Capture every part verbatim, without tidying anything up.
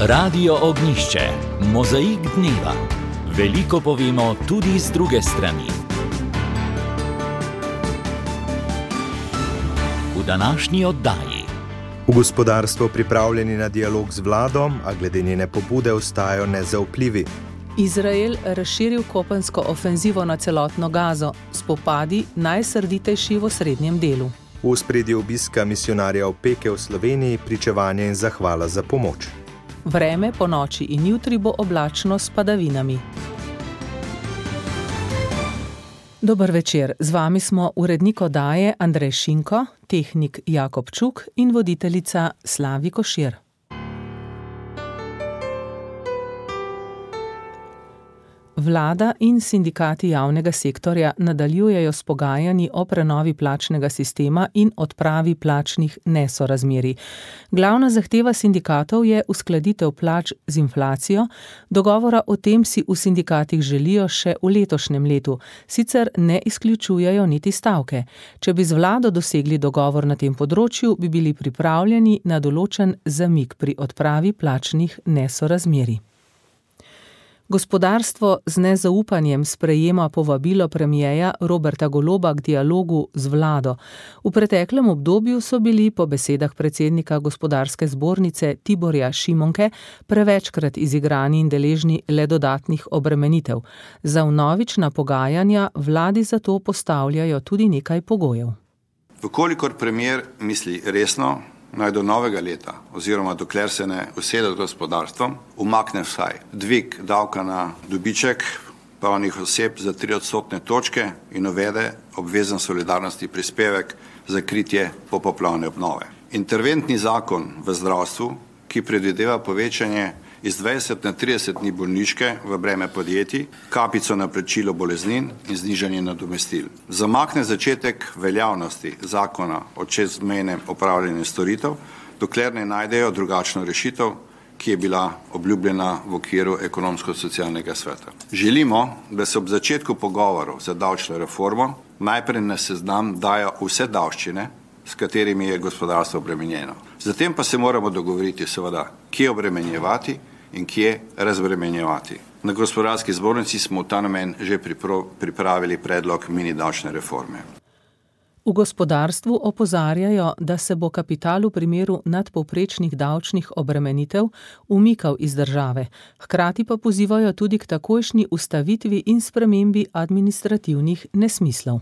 Radio Ognjišče, mozaik dneva. Veliko povemo tudi z druge strani. V današnji oddaji. V gospodarstvu pripravljeni na dialog z vlado, a glede njene pobude ostajajo nezaupljivi. Izrael razširil kopensko ofenzivo na celotno Gazo, spopadi najsrditejši v srednjem delu. V ospredju obiska misijonarja Opeke v Sloveniji, pričevanje in zahvala za pomoč. Vreme po noči in jutri bo oblačno s padavinami. Dober večer, z vami smo urednik oddaje Andrej Šinko, tehnik Jakob Čuk in voditeljica Slavi Košir. Vlada in sindikati javnega sektorja nadaljujejo s pogajanji o prenovi plačnega sistema in odpravi plačnih nesorazmerij. Glavna zahteva sindikatov je uskladitev plač z inflacijo, dogovora o tem si v sindikatih želijo še v letošnjem letu, sicer ne izključujejo niti stavke. Če bi z vlado dosegli dogovor na tem področju, bi bili pripravljeni na določen zamik pri odpravi plačnih nesorazmerij. Gospodarstvo z nezaupanjem sprejema povabilo premierja Roberta Goloba k dialogu z vlado. V preteklem obdobju so bili po besedah predsednika gospodarske zbornice Tiborja Šimonke prevečkrat izigrani in deležni le dodatnih obremenitev. Za vnovična pogajanja vladi zato postavljajo tudi nekaj pogojev. Vkolikor premier misli resno, naj do novega leta, oziroma dokler se ne usede z gospodarstvom, umakne vsaj dvig davka na dobiček pravnih oseb za tri odstotne točke in uvede obvezen solidarnostni prispevek za kritje popoplavne obnove. Interventni zakon v zdravstvu, ki predvideva povečanje iz dvajset na trideset dni bolniške v breme podjetij, kapico na plačilo boleznin in znižanje nadomestil. Zamakne začetek veljavnosti zakona o čezmejnem opravljanju storitev, dokler ne najdejo drugačno rešitev, ki je bila obljubljena v okviru ekonomsko-socialnega sveta. Želimo, da se ob začetku pogovorov za davčno reformo najprej na seznam dajo vse davščine, s katerimi je gospodarstvo obremenjeno. Zatem pa se moramo dogovoriti seveda, kje obremenjevati in kje razbremenjevati. Na gospodarski zbornici smo v ta namen že pripravili predlog mini davčne reforme. V gospodarstvu opozarjajo, da se bo kapital v primeru nadpovprečnih davčnih obremenitev umikal iz države. Hkrati pa pozivajo tudi k takojšnji ustavitvi in spremembi administrativnih nesmislov.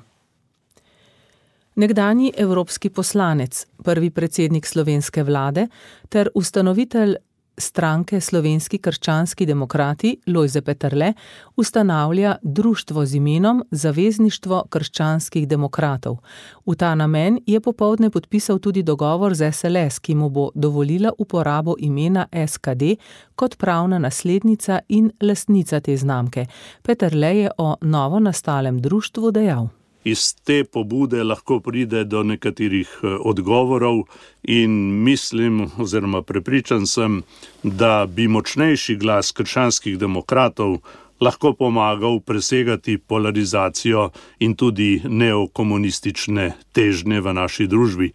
Nekdanji evropski poslanec, prvi predsednik slovenske vlade ter ustanovitelj stranke Slovenski krščanski demokrati Lojze Peterle ustanavlja društvo z imenom Zavezništvo krščanskih demokratov. V ta namen je popoldne podpisal tudi dogovor z es el es, ki mu bo dovolila uporabo imena es ka de kot pravna naslednica in lastnica te znamke. Peterle je o novo nastalem društvu dejal. Iz te pobude lahko pride do nekaterih odgovorov in mislim oziroma prepričan sem, da bi močnejši glas krščanskih demokratov lahko pomagal presegati polarizacijo in tudi neokomunistične težnje v naši družbi.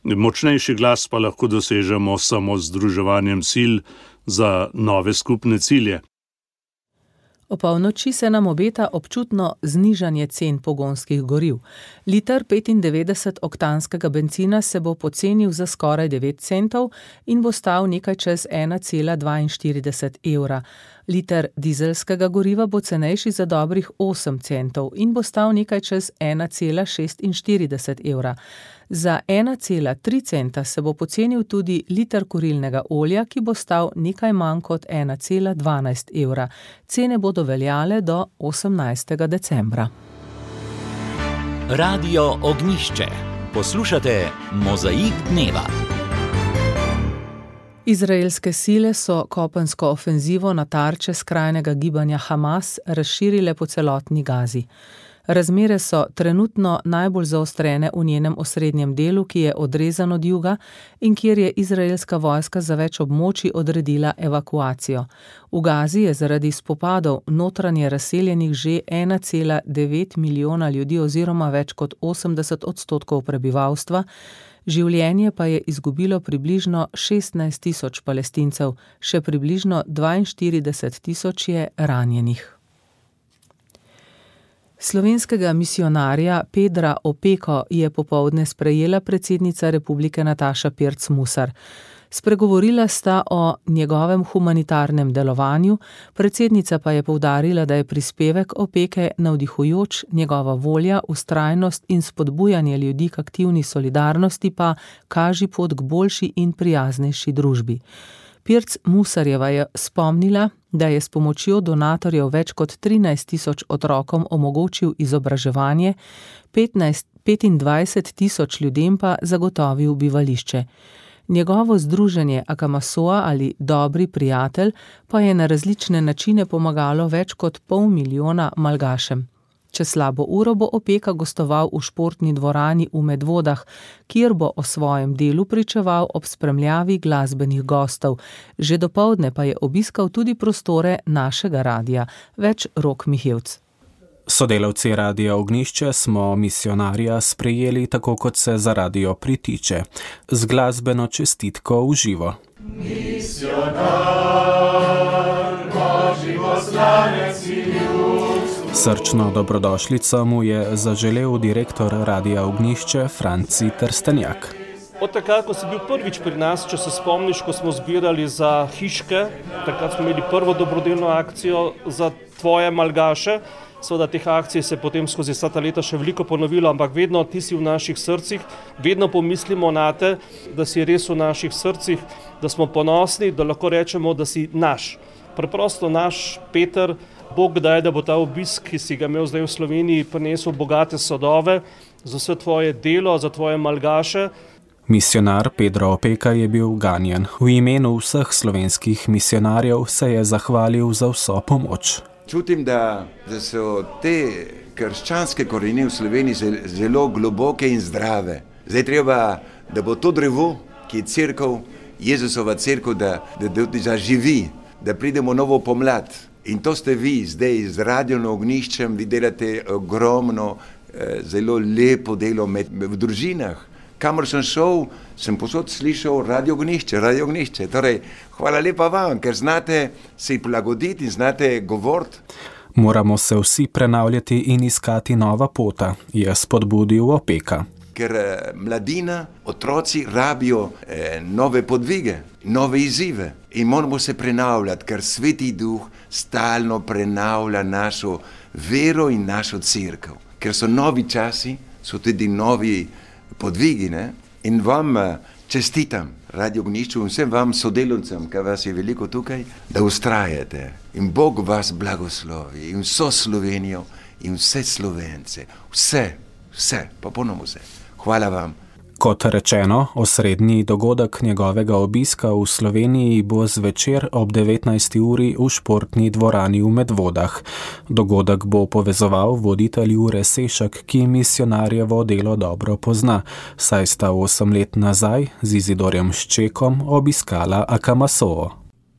Močnejši glas pa lahko dosežemo samo z združevanjem sil za nove skupne cilje. O polnoči se nam obeta občutno znižanje cen pogonskih goriv. Liter petindevetdeset oktanskega bencina se bo pocenil za skoraj devet centov in bo stal nekaj čez ena cela dvainštirideset evra. Liter dizelskega goriva bo cenejši za dobrih osem centov in bo stal nekaj čez ena cela šestinštirideset evra. Za ena cela tri centa se bo pocenil tudi liter kurilnega olja, ki bo stal nekaj manj kot ena cela dvanajst evra. Cene bodo veljale do osemnajstega decembra. Radio Ognjišče. Poslušate mozaik dneva. Izraelske sile so kopensko ofenzivo na tarče skrajnega gibanja Hamas razširile po celotni Gazi. Razmere so trenutno najbolj zaostrene v njenem osrednjem delu, ki je odrezan od juga in kjer je izraelska vojska za več območij odredila evakuacijo. V Gazi je zaradi spopadov notranje razseljenih že ena cela devet milijona ljudi oziroma več kot osemdeset odstotkov prebivalstva. Življenje pa je izgubilo približno šestnajst tisoč Palestincev, še približno dvainštirideset tisoč je ranjenih. Slovenskega misionarja Pedra Opeko je popoldne sprejela predsednica republike Nataša Pirc Musar. Spregovorila sta o njegovem humanitarnem delovanju, predsednica pa je poudarila, da je prispevek Opeke navdihujoč, njegova volja, vztrajnost in spodbujanje ljudi k aktivni solidarnosti pa kaži pot k boljši in prijaznejši družbi. Pirc Musarjeva je spomnila, da je s pomočjo donatorjev več kot trinajst tisoč otrokom omogočil izobraževanje, petnajst, petindvajset tisoč ljudem pa zagotovil bivališče. Njegovo združenje Akamasoa ali Dobri prijatelj pa je na različne načine pomagalo več kot pol milijona Malgašem. Čez slabo uro bo Opeka gostoval v športni dvorani v Medvodah, kjer bo o svojem delu pričeval ob spremljavi glasbenih gostov. Že dopoldne pa je obiskal tudi prostore našega radia. Več Rok Mihevc. Sodelavci Radia Ognjišče smo misionarja sprejeli tako, kot se za radio pritiče, z glasbeno čestitko v živo. Misionar, Božji poslanec in ljudstvo. Srčno dobrodošlico mu je zaželel direktor Radia Ognjišče Franci Trstenjak. Od takrat, ko si bil prvič pri nas, če se spomniš, ko smo zbirali za hiške, takrat smo imeli prvo dobrodelno akcijo za tvoje Malgaše. Seveda teh akcij se potem skozi vsa ta leta še veliko ponovilo, ampak vedno ti si v naših srcih, vedno pomislimo na te, da si res v naših srcih, da smo ponosni, da lahko rečemo, da si naš. Preprosto naš Peter, Bog daj, da bo ta obisk, ki si ga imel zdaj v Sloveniji, prinesel bogate sadove za vse tvoje delo, za tvoje Malgaše. Misionar Pedro Opeka je bil ganjen. V imenu vseh slovenskih misionarjev se je zahvalil za vso pomoč. Čutim, da, da so te krščanske korenine v Sloveniji zelo globoke in zdrave. Zdaj treba, da bo to drevo, ki je cerkev, Jezusova cerkev, da, da, da zaživi, da pridemo novo pomlad. In to ste vi zdaj z Radio Ognjiščem, vi delate ogromno, zelo lepo delo med, v družinah. Kamor sem šel, sem posod slišal Radio Ognjišče, Radio Ognjišče. Torej, hvala lepa vam, ker znate se prilagoditi in znate govoriti. Moramo se vsi prenavljati in iskati nova pota, je spodbudil Opeka. Ker mladina, otroci rabijo eh, nove podvige, nove izzive in moramo se prenavljati, ker Sveti Duh stalno prenavlja našo vero in našo cerkev. Ker so novi časi, so tudi novi podvigi, ne? In vam čestitam, Radio Ognjišče, in vsem vam sodelavcem, ker vas je veliko tukaj, da ustrajate in Bog vas blagoslovi in vso Slovenijo in vse Slovence, vse, vse, popolnoma vse. Hvala vam. Kot rečeno, osrednji dogodek njegovega obiska v Sloveniji bo zvečer ob devetnajsti uri v športni dvorani v Medvodah. Dogodek bo povezoval voditelj Jure Sešak, ki misionarjevo delo dobro pozna, saj sta osem let nazaj z Izidorjem Ščekom obiskala Akamasoo.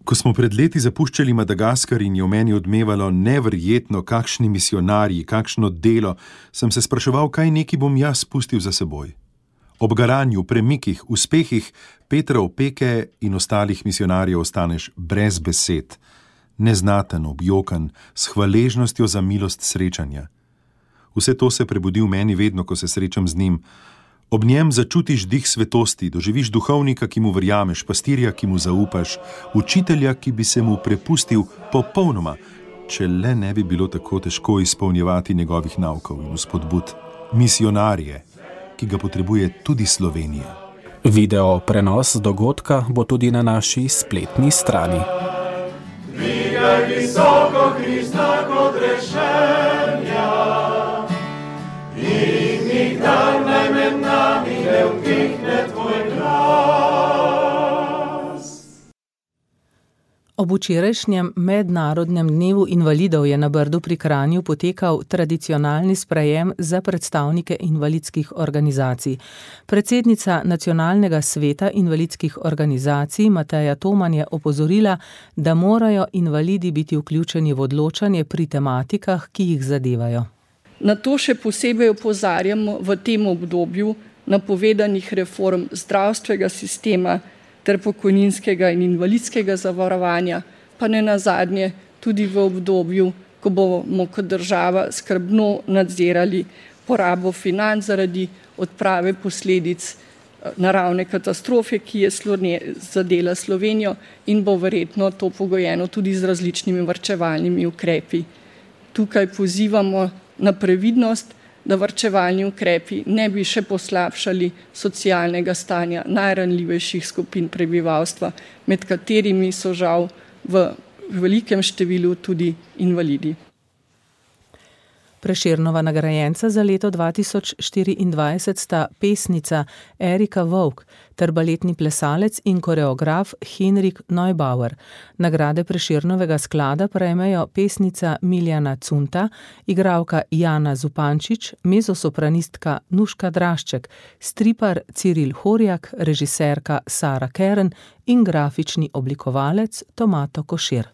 Ko smo pred leti zapuščali Madagaskar in je v meni odmevalo neverjetno, kakšni misionarji, kakšno delo, sem se spraševal, kaj neki bom jaz pustil za seboj. Ob garanju, premikih, uspehih Petra Opeke in ostalih misionarjev ostaneš brez besed, neznaten, objokan, s hvaležnostjo za milost srečanja. Vse to se prebudi v meni vedno, ko se srečam z njim. Ob njem začutiš dih svetosti, doživiš duhovnika, ki mu verjameš, pastirja, ki mu zaupaš, učitelja, ki bi se mu prepustil popolnoma, če le ne bi bilo tako težko izpolnjevati njegovih naukov in vzpodbud. Misionarje, ki ga potrebuje tudi Slovenija. Video prenos dogodka bo tudi na naši spletni strani. Dvigaj visoko Krista kot rešenja in nikdar naj med nami ne utihne tvoj glas. Ob včerajšnjem mednarodnem dnevu invalidov je na Brdu pri Kranju potekal tradicionalni sprejem za predstavnike invalidskih organizacij. Predsednica Nacionalnega sveta invalidskih organizacij Mateja Toman je opozorila, da morajo invalidi biti vključeni v odločanje pri tematikah, ki jih zadevajo. Na to še posebej opozarjamo v tem obdobju, napovedanih reform zdravstvenega sistema ter pokojninskega in invalidskega zavarovanja, pa ne nazadnje tudi v obdobju, ko bomo kot država skrbno nadzirali porabo financ zaradi odprave posledic naravne katastrofe, ki je zadela Slovenijo in bo verjetno to pogojeno tudi z različnimi varčevalnimi ukrepi. Tukaj pozivamo na previdnost, da varčevalni ukrepi ne bi še poslabšali socialnega stanja najranljivejših skupin prebivalstva, med katerimi so žal v velikem številu tudi invalidi. Prešernova nagrajenca za leto dva tisoč štiriindvajset sta pesnica Erika Vovk ter baletni plesalec in koreograf Henrik Neubauer. Nagrade Prešernovega sklada prejmejo pesnica Miljana Cunta, igralka Jana Zupančič, mezosopranistka Nuška Drašček, stripar Ciril Horjak, režiserka Sara Keren in grafični oblikovalec Tomato Košir.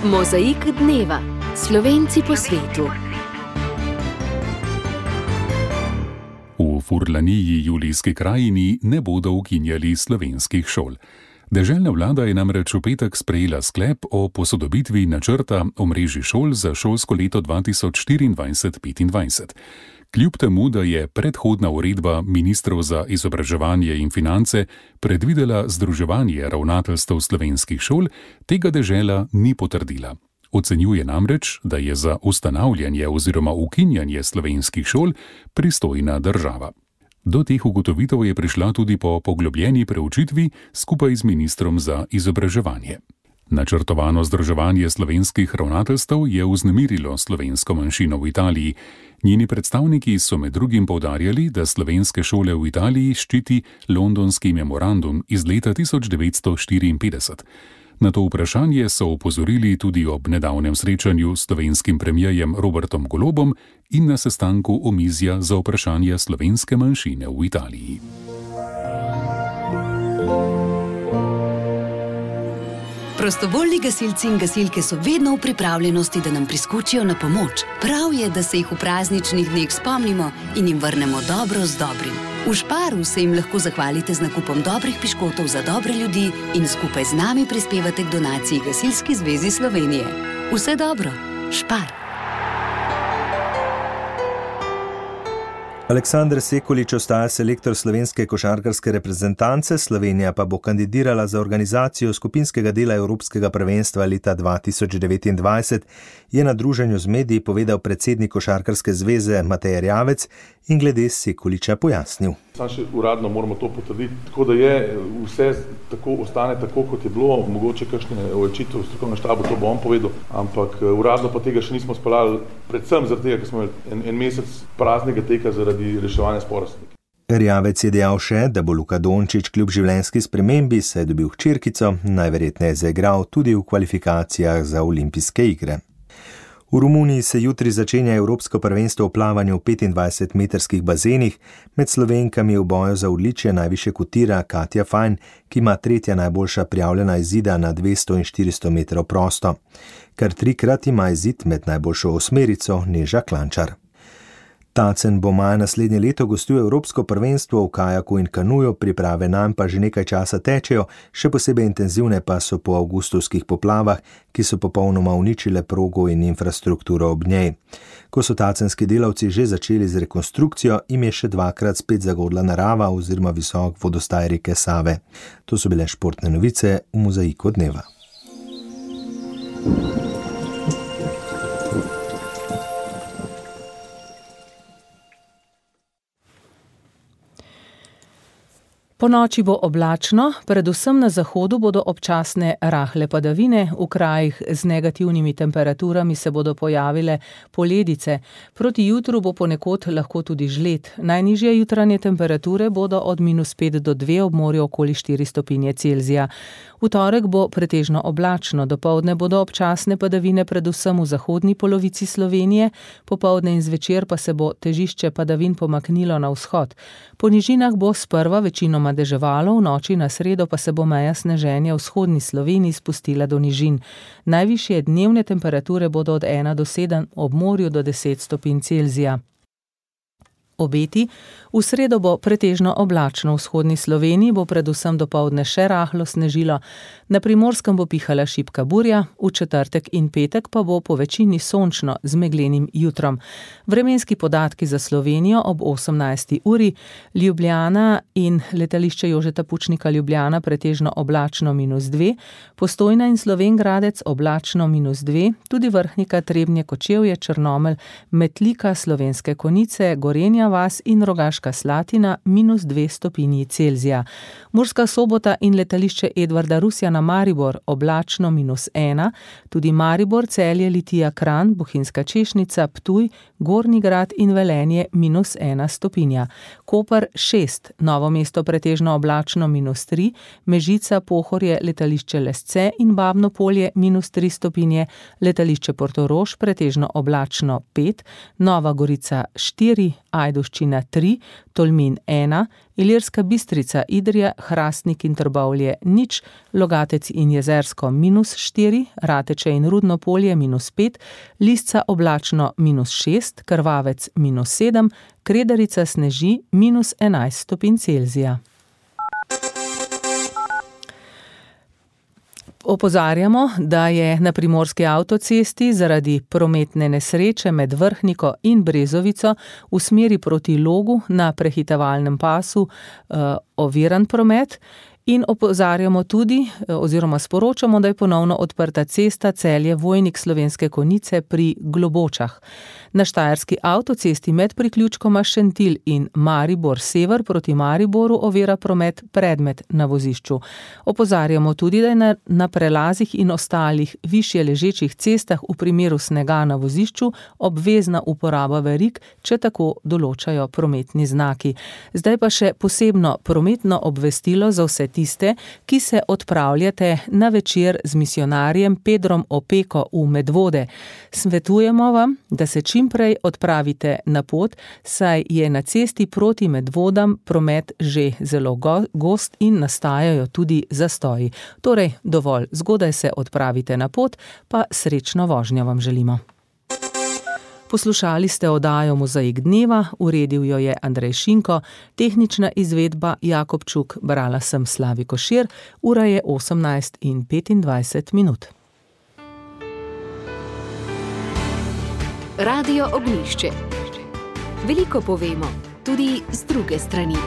Mozaik dneva. Slovenci po svetu. V Furlaniji, Julijski krajini, ne bodo ukinjali slovenskih šol. Deželna vlada je namreč v petek sprejela sklep o posodobitvi načrta omrežij šol za šolsko leto dva tisoč štiriindvajset petindvajset. Kljub temu, da je predhodna uredba ministrov za izobraževanje in finance predvidela združevanje ravnateljstev slovenskih šol, tega dežela ni potrdila. Ocenjuje namreč, da je za ustanavljanje oziroma ukinjanje slovenskih šol pristojna država. Do teh ugotovitev je prišla tudi po poglobljeni preučitvi skupaj z ministrom za izobraževanje. Načrtovano združevanje slovenskih ravnateljstev je vznemirilo slovensko manjšino v Italiji. Njeni predstavniki so med drugim poudarjali, da slovenske šole v Italiji ščiti londonski memorandum iz leta tisoč devetsto štiriinpetdeset. Na to vprašanje so opozorili tudi ob nedavnem srečanju s slovenskim premierjem Robertom Golobom in na sestanku omizja za vprašanja slovenske manjšine v Italiji. Prostovoljni gasilci in gasilke so vedno v pripravljenosti, da nam priskočijo na pomoč. Prav je, da se jih v prazničnih dneh spomnimo in jim vrnemo dobro z dobrim. V Šparu se jim lahko zahvalite z nakupom dobrih piškotov za dobre ljudi in skupaj z nami prispevate k donaciji Gasilski zvezi Slovenije. Vse dobro, Špar! Aleksander Sekulič ostaja selektor slovenske košarkarske reprezentance, Slovenija pa bo kandidirala za organizacijo skupinskega dela Evropskega prvenstva leta dva tisoč devetindvajset, je na druženju z mediji povedal predsednik Košarkarske zveze Matej Erjavec in glede Sekuliča pojasnil. Sam še uradno moramo to potrditi, tako da je vse tako, ostane tako, kot je bilo, mogoče kakšne očitve v strokovnem štabu, to bo on povedal, ampak uradno pa tega še nismo speljali, predvsem zaradi tega, ker smo en, en mesec praznega teka zaradi reševanja spora. Erjavec je dejal še, da bo Luka Dončić kljub življenjski spremembi, saj je dobil hčerkico, najverjetneje zaigral tudi v kvalifikacijah za olimpijske igre. V Romuniji se jutri začenja Evropsko prvenstvo v plavanju v petindvajsetmetrskih bazenih. Med Slovenkami v boju za odličje najvišje kotira Katja Fajn, ki ima tretja najboljša prijavljena izida na dvesto in štiristo metrov prosto. Kar trikrat ima izid med najboljšo osmerico Neža Klančar. Tacen bo maja naslednje leto gostil Evropsko prvenstvo v kajaku in kanuju, priprave nanj pa že nekaj časa tečejo, še posebej intenzivne pa so po avgustovskih poplavah, ki so popolnoma uničile progo in infrastrukturo ob njej. Ko so tacenski delavci že začeli z rekonstrukcijo, im je še dvakrat spet zagodla narava oziroma visok vodostaj reke Save. To so bile športne novice v Mozaiku dneva. Po noči bo oblačno, predvsem na zahodu bodo občasne rahle padavine, v krajih z negativnimi temperaturami se bodo pojavile poledice. Proti jutru bo ponekod lahko tudi žled. Najnižje jutranje temperature bodo od minus pet do dve, ob morju okoli štiri stopinje Celzija. V torek bo pretežno oblačno, dopoldne bodo občasne padavine predvsem v zahodni polovici Slovenije, popoldne in zvečer pa se bo težišče padavin pomaknilo na vzhod. Po nižinah bo sprva večinoma deževalo, v noči na sredo pa se bo meja sneženja v vzhodni Sloveniji spustila do nižin. Najvišje dnevne temperature bodo od ena do sedem, ob morju do deset stopinj Celzija. Obeti. V sredo bo pretežno oblačno, v vzhodni Sloveniji bo predvsem dopoldne še rahlo snežilo, na Primorskem bo pihala šibka burja, v četrtek in petek pa bo po večini sončno z meglenim jutrom. Vremenski podatki za Slovenijo ob osemnajsti uri, Ljubljana in letališče Jožeta Pučnika Ljubljana pretežno oblačno minus dve, Postojna in Slovenj Gradec oblačno minus dve, tudi Vrhnika, Trebnje, Kočevje, Črnomelj, Metlika, Slovenske Konjice, Gorenja vas in Rogaška Slatina minus dve stopinji Celzija. Murska Sobota in letališče Edvarda Rusjana Maribor oblačno minus ena, tudi Maribor, Celje, Litija, Kranj, Bohinjska Češnica, Ptuj, Gornji Grad in Velenje minus ena stopinja. Koper šest, Novo mesto pretežno oblačno minus tri, Mežica, Pohorje, letališče Lesce in Babno Polje minus tri stopinje, letališče Portorož pretežno oblačno pet, Nova Gorica štiri, Ajdovščina tri, Tolmin ena, Ilirska Bistrica, Idrija, Hrastnik in Trbovlje nič, Logatec in Jezersko minus štiri, Rateče in Rudno Polje minus pet, Lisca oblačno minus šest, Krvavec minus sedem, Kredarica sneži minus enajst stopinj Celzija. Opozarjamo, da je na primorski avtocesti zaradi prometne nesreče med Vrhniko in Brezovico v smeri proti Logu na prehitevalnem pasu uh, oviran promet. In opozarjamo tudi, oziroma sporočamo, da je ponovno odprta cesta Celje Vojnik Slovenske Konjice pri Globočah. Na štajerski avtocesti med priključkoma Šentilj in Maribor sever proti Mariboru ovira promet predmet na vozišču. Opozarjamo tudi, da je na, na prelazih in ostalih višje ležečih cestah v primeru snega na vozišču obvezna uporaba verig, če tako določajo prometni znaki. Zdaj pa še posebno prometno obvestilo za vse tiste, ki se odpravljate na večer z misijonarjem Pedrom Opeko v Medvode. Svetujemo vam, da se čim prej odpravite na pot, saj je na cesti proti Medvodam promet že zelo go- gost in nastajajo tudi zastoji. Torej, dovolj zgodaj se odpravite na pot, pa srečno vožnjo vam želimo. Poslušali ste oddajo Mozaik dneva, uredil jo je Andrej Šinko, tehnična izvedba Jakob Čuk, brala sem Slavi Košir, ura je osemnajst in petindvajset minut. Radio Ognjišče. Veliko povemo, tudi z druge strani.